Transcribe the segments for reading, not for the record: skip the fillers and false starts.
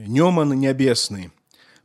Нёман нябесны,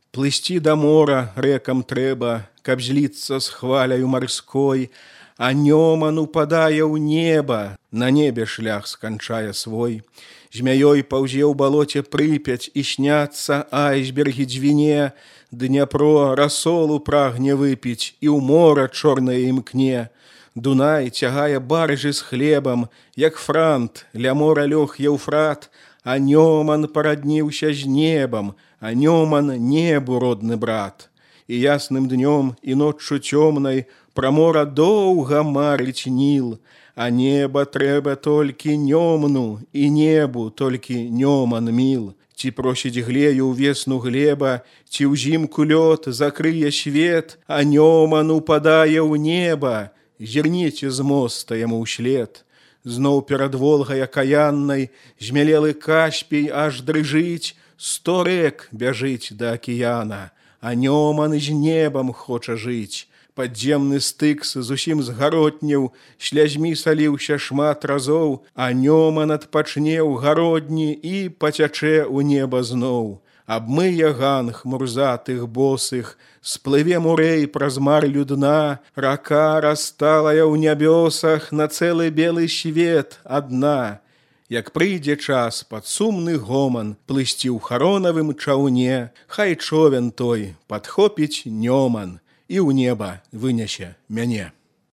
плысці да мора рэкам трэба, каб зліцца з хваляю марской, а нёман упадае ў неба, на небе шлях сканчае свой. Змяёй паўзе ў балоце Прыпяць і сняцца айсбергі дзвіне, Дняпро расолу прагне выпіць і ў мора чорнае імкне. Дунай цягае баржы з хлебам, як франт, ля мора лёг Еўфрат, а нёман парадніўся з небам, а нёман небу родны брат. І ясным днём, і ноччу цёмнай пра мора доўга марыць Ніл, а неба трэба толькі нёмну, і небу толькі нёман міл. Ці просіць глею ўвесну глеба, ці ўзімку лёд закрые свет, а нёман упадае ў неба, зірніце з моста яму ўслед. Зноў перад Волгай акаяннай змялелы Каспій аж дрыжыць, 100 рэк бяжыць да акіяна, а нёман з небам хоча жыць. Падземны Стыкс зусім згаротнеў, слязьмі саліўся шмат разоў, а нёман адпачне ў гародні і пацячэ ў неба зноў. Абмые ганг мурзатых босых, сплыве мурэй праз марлю дна, рака расталая ў нябёсах на цэлы белы свет адна. Як прыйдзе час пад сумны гоман плысці ў харонавым чаўне, хай човен той падхопіць нёман і ў неба вынясе мяне.